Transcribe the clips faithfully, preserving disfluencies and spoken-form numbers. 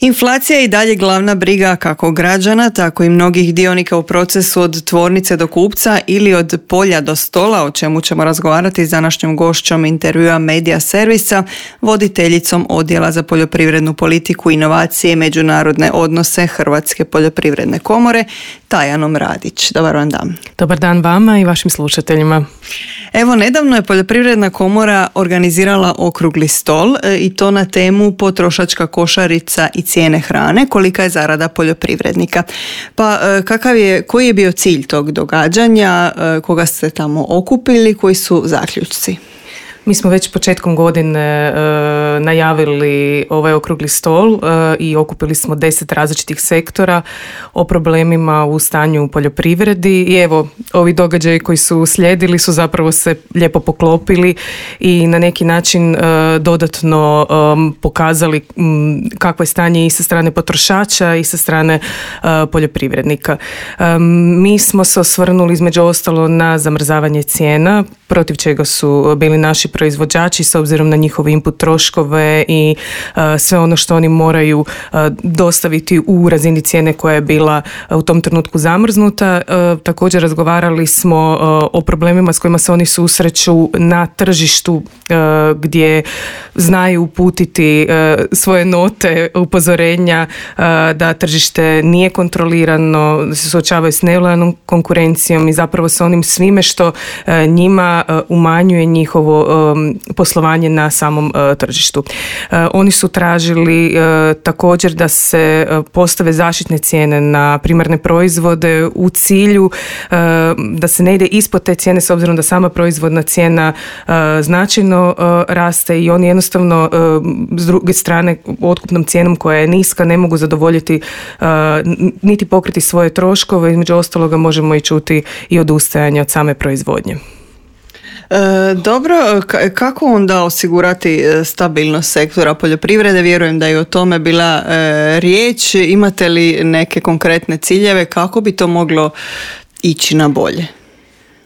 Inflacija je i dalje glavna briga kako građana, tako i mnogih dionika u procesu od tvornice do kupca ili od polja do stola, o čemu ćemo razgovarati s današnjom gošćom intervjua Medija servisa, voditeljicom Odjela za poljoprivrednu politiku, inovacije i međunarodne odnose Hrvatske poljoprivredne komore, Tajanom Radić. Dobar vam dan. Dobar dan vama i vašim slušateljima. Evo, nedavno je Poljoprivredna komora organizirala okrugli stol i to na temu potrošačka košarica i cijene hrane, kolika je zarada poljoprivrednika. Pa kakav je, koji je bio cilj tog događanja, koga ste tamo okupili, koji su zaključci? Mi smo već početkom godine e, najavili ovaj okrugli stol e, i okupili smo deset različitih sektora o problemima u stanju u poljoprivredi i evo, ovi događaji koji su slijedili su zapravo se lijepo poklopili i na neki način e, dodatno e, pokazali m, kakvo je stanje i sa strane potrošača i sa strane e, poljoprivrednika. E, mi smo se osvrnuli između ostalo na zamrzavanje cijena, protiv čega su bili naši proizvođači s obzirom na njihove input troškove i uh, sve ono što oni moraju uh, dostaviti u razini cijene koja je bila uh, u tom trenutku zamrznuta. Uh, također razgovarali smo uh, o problemima s kojima se oni susreću na tržištu uh, gdje znaju uputiti uh, svoje note upozorenja uh, da tržište nije kontrolirano, da se suočavaju s nelojalnom konkurencijom i zapravo sa onim svime što uh, njima uh, umanjuje njihovo um, poslovanje na samom uh, tržištu. Uh, oni su tražili uh, također da se uh, postave zaštitne cijene na primarne proizvode u cilju uh, da se ne ide ispod te cijene s obzirom da sama proizvodna cijena uh, značajno uh, raste i oni jednostavno uh, s druge strane otkupnom cijenom koja je niska ne mogu zadovoljiti uh, niti pokriti svoje troškove, između ostaloga možemo i čuti i odustajanje od same proizvodnje. E, dobro, k- kako onda osigurati stabilnost sektora poljoprivrede? Vjerujem da je o tome bila e, riječ. Imate li neke konkretne ciljeve kako bi to moglo ići na bolje?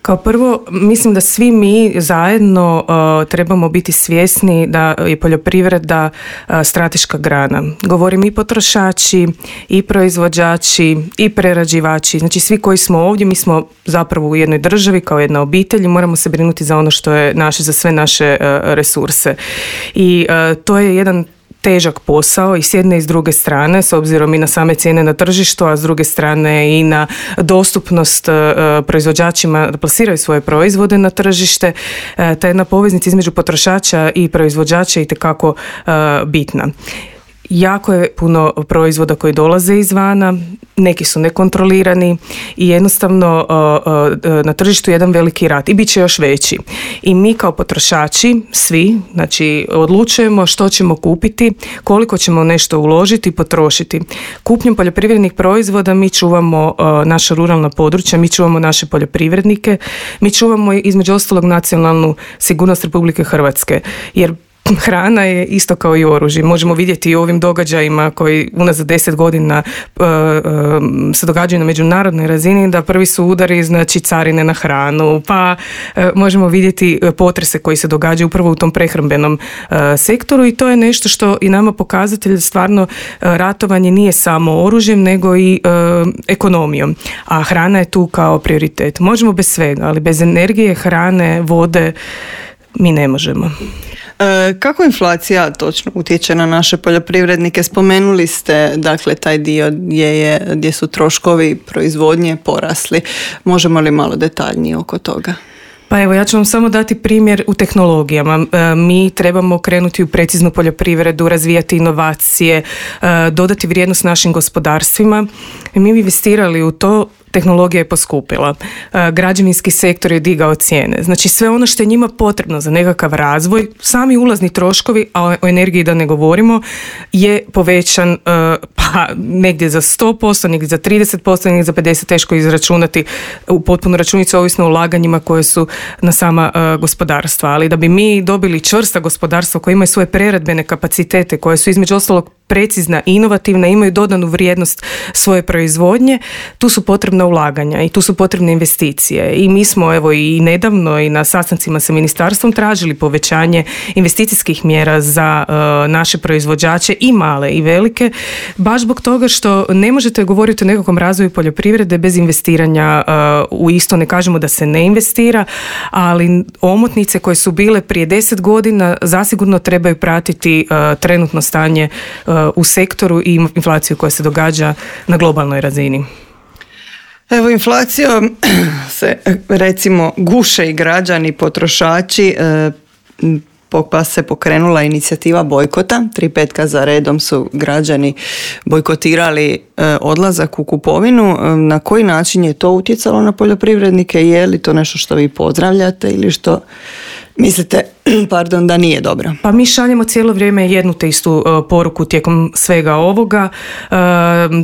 Kao prvo, mislim da svi mi zajedno uh, trebamo biti svjesni da je poljoprivreda uh, strateška grana. Govorim i potrošači, i proizvođači, i prerađivači. Znači svi koji smo ovdje, mi smo zapravo u jednoj državi kao jedna obitelj i moramo se brinuti za ono što je naše, za sve naše uh, resurse. I uh, to je jedan težak posao i s jedne i s druge strane, s obzirom i na same cijene na tržištu, a s druge strane i na dostupnost uh, proizvođačima da plasiraju svoje proizvode na tržište. Uh, ta jedna poveznica između potrošača i proizvođača je itekako uh, bitna. Jako je puno proizvoda koji dolaze izvana, neki su nekontrolirani i jednostavno uh, uh, na tržištu je jedan veliki rat i bit će još veći. I mi kao potrošači, svi, znači odlučujemo što ćemo kupiti, koliko ćemo nešto uložiti i potrošiti. Kupnjom poljoprivrednih proizvoda mi čuvamo uh, naša ruralna područja, mi čuvamo naše poljoprivrednike, mi čuvamo između ostalog nacionalnu sigurnost Republike Hrvatske, jer hrana je isto kao i oružje. Možemo vidjeti i u ovim događajima koji unazad deset godina uh, uh, se događaju na međunarodnoj razini, da prvi su udari, znači carine na hranu, pa uh, možemo vidjeti potrese koji se događaju upravo u tom prehrambenom uh, sektoru i to je nešto što i nama pokazatelj stvarno uh, ratovanje nije samo oružjem nego i uh, ekonomijom, a hrana je tu kao prioritet. Možemo bez svega, ali bez energije, hrane, vode mi ne možemo. E, kako inflacija točno utječe na naše poljoprivrednike? Spomenuli ste dakle taj dio gdje, je, gdje su troškovi proizvodnje porasli. Možemo li malo detaljnije oko toga? Pa evo, ja ću vam samo dati primjer u tehnologijama. E, mi trebamo krenuti u preciznu poljoprivredu, razvijati inovacije, e, dodati vrijednost našim gospodarstvima. I mi bi investirali u to, tehnologija je poskupila. E, građevinski sektor je digao cijene. Znači sve ono što je njima potrebno za nekakav razvoj, sami ulazni troškovi, a o energiji da ne govorimo, je povećan e, pa negdje za sto posto, negdje za trideset posto, negdje za pedeset posto, teško izračunati u potpunu računicu, ovisno o ulaganjima koje su na sama uh, gospodarstva. Ali da bi mi dobili čvrsta gospodarstva koja imaju svoje preradbene kapacitete, koje su između ostalog precizna, inovativna, imaju dodanu vrijednost svoje proizvodnje, tu su potrebna ulaganja i tu su potrebne investicije. I mi smo evo i nedavno i na sastancima sa ministarstvom tražili povećanje investicijskih mjera za uh, naše proizvođače i male i velike, baš zbog toga što ne možete govoriti o nekakvom razvoju poljoprivrede bez investiranja uh, u isto. Ne kažemo da se ne investira, ali omotnice koje su bile prije deset godina zasigurno trebaju pratiti uh, trenutno stanje uh, u sektoru i inflaciju koja se događa na globalnoj razini. Evo, inflacijom se recimo guše i građani, potrošači, pa se pokrenula inicijativa bojkota. Tri petka za redom su građani bojkotirali odlazak u kupovinu. Na koji način je to utjecalo na poljoprivrednike? Je li to nešto što vi pozdravljate ili što mislite pardon, da nije dobro? Pa mi šaljemo cijelo vrijeme jednu te istu uh, poruku tijekom svega ovoga, uh,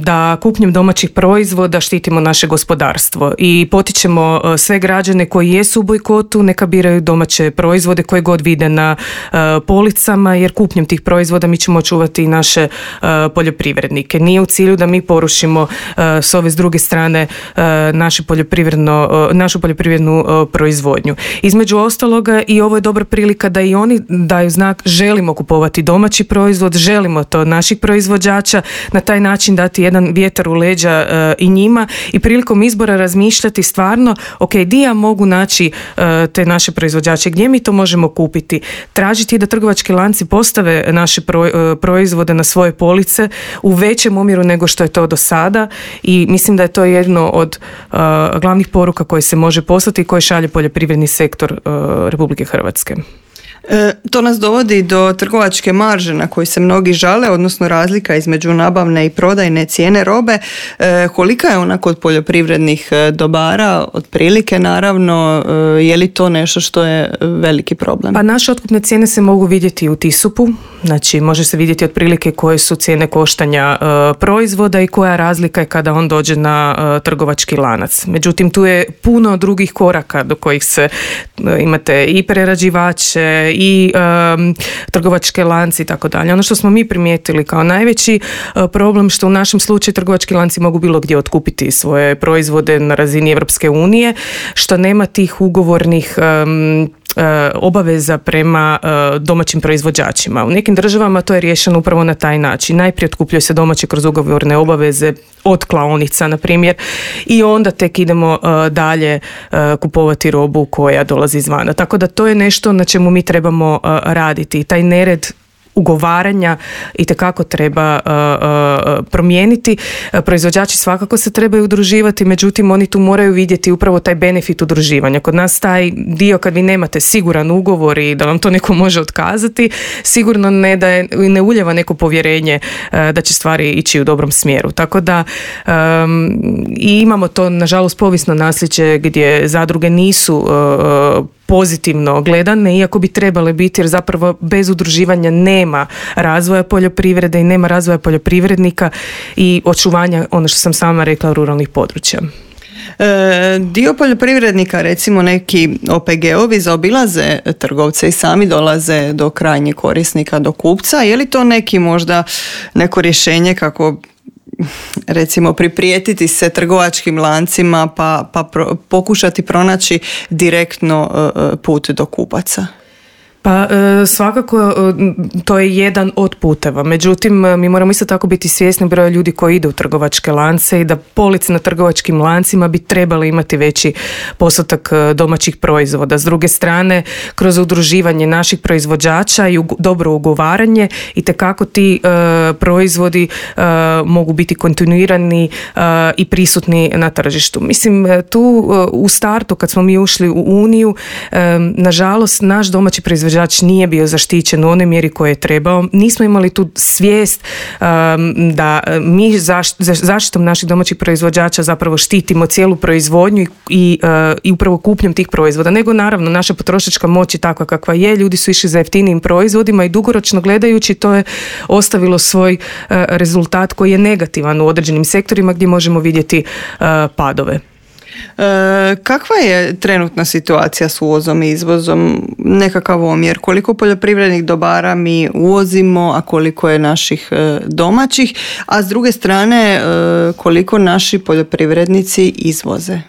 da kupnjom domaćih proizvoda štitimo naše gospodarstvo i potičemo uh, sve građane koji jesu u bojkotu, neka biraju domaće proizvode koje god vide na uh, policama, jer kupnjom tih proizvoda mi ćemo očuvati i naše uh, poljoprivrednike. Nije u cilju da mi porušimo uh, s ove s druge strane uh, naše poljoprivredno, uh, našu poljoprivrednu uh, proizvodnju. Između ostaloga i ovo je dobra prilika da i oni daju znak želimo kupovati domaći proizvod, želimo to od naših proizvođača, na taj način dati jedan vjetar u leđa uh, i njima i prilikom izbora razmišljati stvarno, ok, di ja mogu naći uh, te naše proizvođače, gdje mi to možemo kupiti, tražiti da trgovački lanci postave naše pro, uh, proizvode na svoje police u većem omjeru nego što je to do sada i mislim da je to jedno od uh, glavnih poruka koje se može poslati i koje šalje poljoprivredni sektor uh, Republike Hrvatske. E, to nas dovodi do trgovačke marže na koji se mnogi žale, odnosno razlika između nabavne i prodajne cijene robe. E, kolika je ona kod poljoprivrednih dobara? Otprilike, naravno, e, je li to nešto što je veliki problem? Pa naše otkupne cijene se mogu vidjeti u TISUP-u, znači može se vidjeti otprilike koje su cijene koštanja e, proizvoda i koja razlika je kada on dođe na e, trgovački lanac. Međutim, tu je puno drugih koraka do kojih se e, imate i prerađivače i um, trgovačke lanci i tako dalje. Ono što smo mi primijetili kao najveći uh, problem, što u našem slučaju trgovački lanci mogu bilo gdje otkupiti svoje proizvode na razini Europske unije, što nema tih ugovornih um, obaveza prema domaćim proizvođačima. U nekim državama to je riješeno upravo na taj način. Najprije otkupljuje se domaće kroz ugovorne obaveze od klaonica, na primjer, i onda tek idemo dalje kupovati robu koja dolazi izvana. Tako da to je nešto na čemu mi trebamo raditi. Taj nered ugovaranja itekako treba uh, uh, promijeniti. Proizvođači svakako se trebaju udruživati, međutim oni tu moraju vidjeti upravo taj benefit udruživanja. Kod nas taj dio kad vi nemate siguran ugovor i da vam to neko može otkazati, sigurno ne, da je, ne uljeva neko povjerenje uh, da će stvari ići u dobrom smjeru. Tako da um, i imamo to nažalost povijesno nasljeđe gdje zadruge nisu uh, pozitivno gledane, iako bi trebale biti, jer zapravo bez udruživanja nema razvoja poljoprivrede i nema razvoja poljoprivrednika i očuvanja, ono što sam sama rekla, ruralnih područja. E, dio poljoprivrednika, recimo neki O P G-ovi, zaobilaze trgovce i sami dolaze do krajnjeg korisnika, do kupca. Je li to neki možda neko rješenje kako recimo priprijetiti se trgovačkim lancima pa, pa pro, pokušati pronaći direktno uh, put do kupaca? Pa svakako to je jedan od puteva. Međutim, mi moramo isto tako biti svjesni broja ljudi koji idu u trgovačke lance i da police na trgovačkim lancima bi trebali imati veći postotak domaćih proizvoda. S druge strane, kroz udruživanje naših proizvođača i dobro ugovaranje itekako ti uh, proizvodi uh, mogu biti kontinuirani uh, i prisutni na tržištu. Mislim, tu uh, u startu kad smo mi ušli u Uniju, um, nažalost, naš domaći proizvođač nije bio zaštićen u onoj mjeri koje je trebao. Nismo imali tu svijest um, da mi zaš, zaštitom naših domaćih proizvođača zapravo štitimo cijelu proizvodnju i, i, uh, i upravo kupnjom tih proizvoda. Nego naravno naša potrošačka moć je takva kakva je. Ljudi su išli za jeftinijim proizvodima i dugoročno gledajući to je ostavilo svoj uh, rezultat koji je negativan u određenim sektorima gdje možemo vidjeti uh, padove. E, kakva je trenutna situacija s uvozom i izvozom? Nekakav omjer? Koliko poljoprivrednih dobara mi uvozimo, a koliko je naših e, domaćih? A s druge strane, e, koliko naši poljoprivrednici izvoze?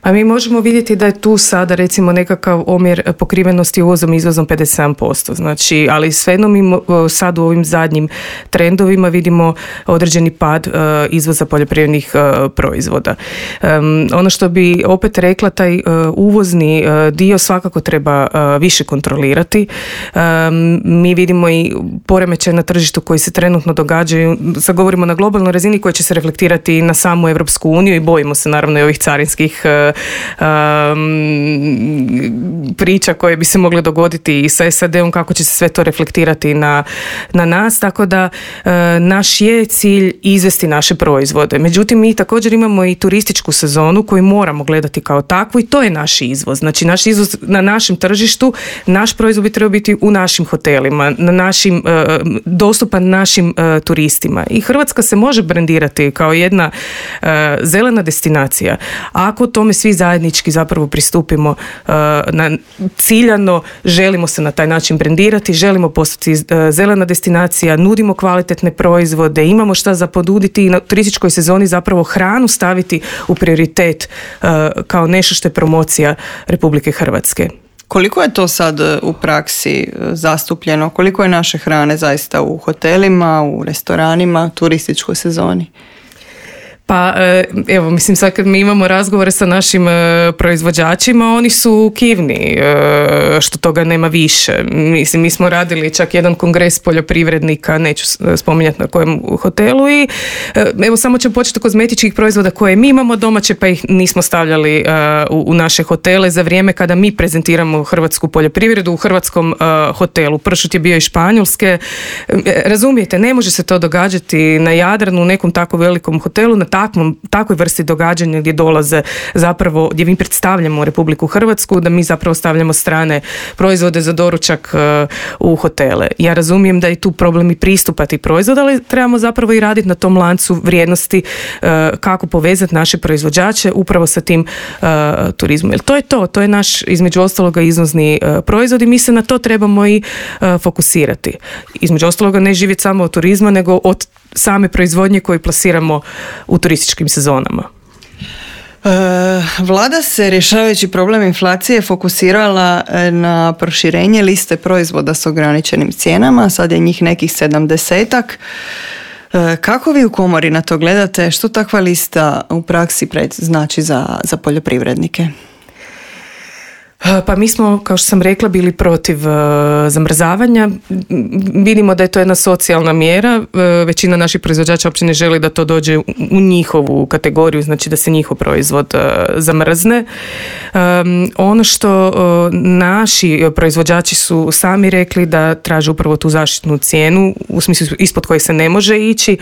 A mi možemo vidjeti da je tu sada recimo nekakav omjer pokrivenosti uvozom i izvozom pedeset sedam posto. Znači, ali svejedno mi sad u ovim zadnjim trendovima vidimo određeni pad uh, izvoza poljoprivrednih uh, proizvoda. Um, ono što bi opet rekla, taj uh, uvozni uh, dio svakako treba uh, više kontrolirati. Um, mi vidimo i poremećaj na tržištu koji se trenutno događaju, sad govorimo na globalnoj razini, koji će se reflektirati na samu Europsku uniju i bojimo se naravno i ovih carinskih uh, Um, priča koje bi se mogle dogoditi i sa S A D-om, kako će se sve to reflektirati na, na nas, tako da uh, naš je cilj izvesti naše proizvode. Međutim, mi također imamo i turističku sezonu koju moramo gledati kao takvu i to je naš izvoz. Znači, naš izvoz na našem tržištu, naš proizvod bi trebao biti u našim hotelima, na našim, uh, dostupan našim uh, turistima. I Hrvatska se može brendirati kao jedna uh, zelena destinacija. Ako tome svi zajednički zapravo pristupimo uh, na ciljano, želimo se na taj način brendirati, želimo postati uh, zelena destinacija, nudimo kvalitetne proizvode, imamo šta za ponuditi i na turističkoj sezoni zapravo hranu staviti u prioritet uh, kao nešto što je promocija Republike Hrvatske. Koliko je to sad u praksi zastupljeno? Koliko je naše hrane zaista u hotelima, u restoranima, turističkoj sezoni? Pa evo, mislim sad kad mi imamo razgovore sa našim e, proizvođačima, oni su kivni e, što toga nema više. Mislim, mi smo radili čak jedan kongres poljoprivrednika, neću spominjati na kojem hotelu i e, evo samo ćemo početi kozmetičkih proizvoda koje mi imamo domaće pa ih nismo stavljali e, u, u naše hotele za vrijeme kada mi prezentiramo hrvatsku poljoprivredu u hrvatskom e, hotelu. Pršut je bio iz Španjolske. E, razumijete, ne može se to događati na Jadranu u nekom tako velikom hotelu, na takvom, takvoj vrsti događanja gdje dolaze zapravo, gdje mi predstavljamo Republiku Hrvatsku, da mi zapravo stavljamo strane proizvode za doručak uh, u hotele. Ja razumijem da je tu problem i pristupa tih proizvoda, ali trebamo zapravo i raditi na tom lancu vrijednosti uh, kako povezati naše proizvođače upravo sa tim uh, turizmom. Jer to je to, to je naš između ostaloga izvozni uh, proizvod i mi se na to trebamo i uh, fokusirati. Između ostaloga ne živjeti samo od turizma, nego od same proizvodnje koju plasiramo u turističkim sezonama. E, Vlada se, rješavajući problem inflacije, fokusirala na proširenje liste proizvoda s ograničenim cijenama. Sad je njih nekih sedamdesetak. E, kako vi u komori na to gledate? Što takva lista u praksi pred, znači za, za poljoprivrednike? Pa mi smo, kao što sam rekla, bili protiv uh, zamrzavanja. Vidimo da je to jedna socijalna mjera. Uh, većina naših proizvođača uopće ne želi da to dođe u, u njihovu kategoriju, znači da se njihov proizvod uh, zamrzne. Um, ono što uh, naši proizvođači su sami rekli da traže upravo tu zaštitnu cijenu, u smislu ispod koje se ne može ići.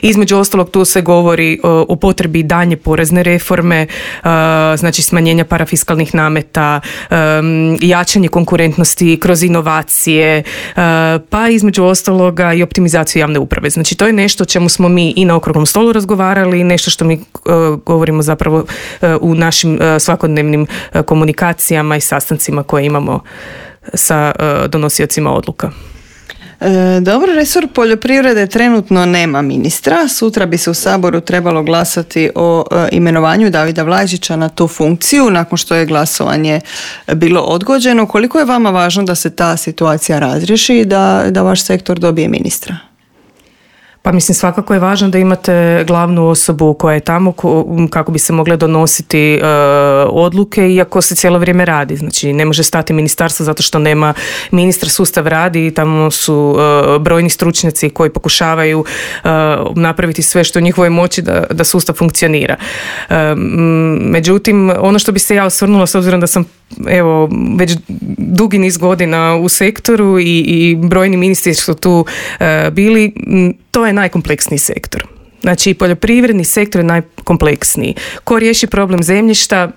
Između ostalog tu se govori uh, o potrebi daljnje porezne reforme, uh, znači smanjenja parafiskalnih nameta, Um, jačanje konkurentnosti kroz inovacije, uh, pa između ostaloga i optimizaciju javne uprave. Znači to je nešto o čemu smo mi i na okruglom stolu razgovarali, nešto što mi uh, govorimo zapravo uh, u našim uh, svakodnevnim uh, komunikacijama i sastancima koje imamo sa uh, donosiocima odluka. E, dobro, resor poljoprivrede trenutno nema ministra. Sutra bi se u Saboru trebalo glasati o e, imenovanju Davida Vlajčića na tu funkciju, nakon što je glasovanje bilo odgođeno. Koliko je vama važno da se ta situacija razriješi i da, da vaš sektor dobije ministra? Pa mislim, svakako je važno da imate glavnu osobu koja je tamo kako bi se mogle donositi uh, odluke, iako se cijelo vrijeme radi. Znači ne može stati ministarstvo zato što nema ministra, sustav radi i tamo su uh, brojni stručnjaci koji pokušavaju uh, napraviti sve što je u njihovoj moći da, da sustav funkcionira. Uh, međutim, ono što bi se ja osvrnula, s obzirom da sam evo već dugi niz godina u sektoru i, i brojni ministri su tu uh, bili, to je najkompleksniji sektor. Znači poljoprivredni sektor je najkompleksniji. Ko riješi problem zemljišta,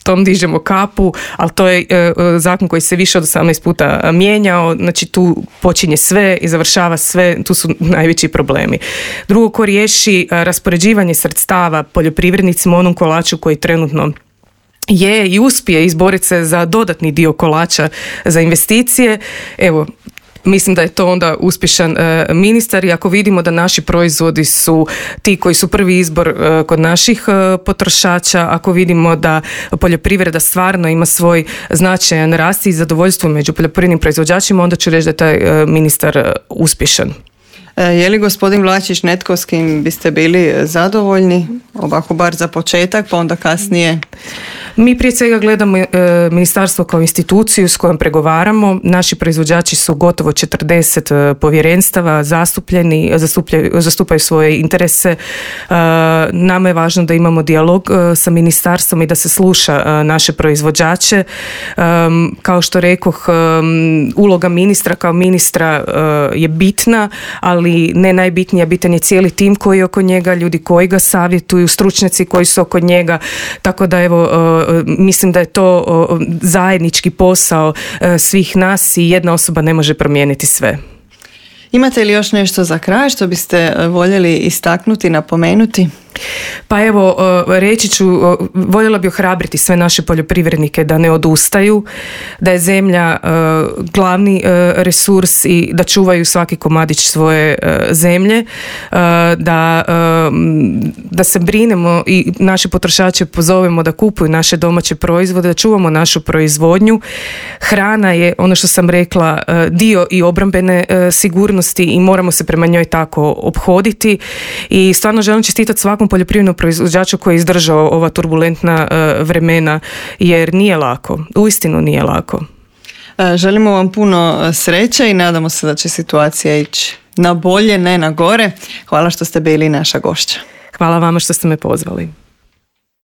tom dižemo kapu, ali to je e, zakon koji se više od osamnaest puta mijenjao, znači tu počinje sve i završava sve, tu su najveći problemi. Drugo, ko riješi e, raspoređivanje sredstava poljoprivrednicima, onom kolaču koji trenutno je i uspije izboriti se za dodatni dio kolača za investicije, evo, mislim da je to onda uspješan e, ministar i ako vidimo da naši proizvodi su ti koji su prvi izbor e, kod naših e, potrošača, ako vidimo da poljoprivreda stvarno ima svoj značajan rast i zadovoljstvo među poljoprivrednim proizvođačima, onda ću reći da je taj e, ministar e, uspješan. E, je li gospodin Vlačić netko s kim biste bili zadovoljni, ovako bar za početak, pa onda kasnije? Mi prije svega gledamo e, ministarstvo kao instituciju s kojom pregovaramo. Naši proizvođači su gotovo četrdeset e, povjerenstava zastupljeni, zastupaju svoje interese. E, nama je važno da imamo dijalog e, sa ministarstvom i da se sluša e, naše proizvođače. E, kao što rekoh, e, uloga ministra kao ministra e, je bitna, ali ne najbitnija, bitan je cijeli tim koji je oko njega, ljudi koji ga savjetuju, stručnjaci koji su oko njega, tako da evo mislim da je to zajednički posao svih nas i jedna osoba ne može promijeniti sve. Imate li još nešto za kraj što biste voljeli istaknuti, napomenuti? Pa evo, reći ću, voljela bi ohrabriti sve naše poljoprivrednike da ne odustaju, da je zemlja glavni resurs i da čuvaju svaki komadić svoje zemlje, da, da se brinemo i naše potrošače pozovemo da kupuju naše domaće proizvode, da čuvamo našu proizvodnju. Hrana je, ono što sam rekla, dio i obrambene sigurnosti i moramo se prema njoj tako ophoditi i stvarno želim čestitati svakom poljoprivrednom proizvođaču koji je izdržao ova turbulentna uh, vremena, jer nije lako, uistinu nije lako. Želimo vam puno sreće i nadamo se da će situacija ići na bolje, ne na gore. Hvala što ste bili naša gošća. Hvala vama što ste me pozvali.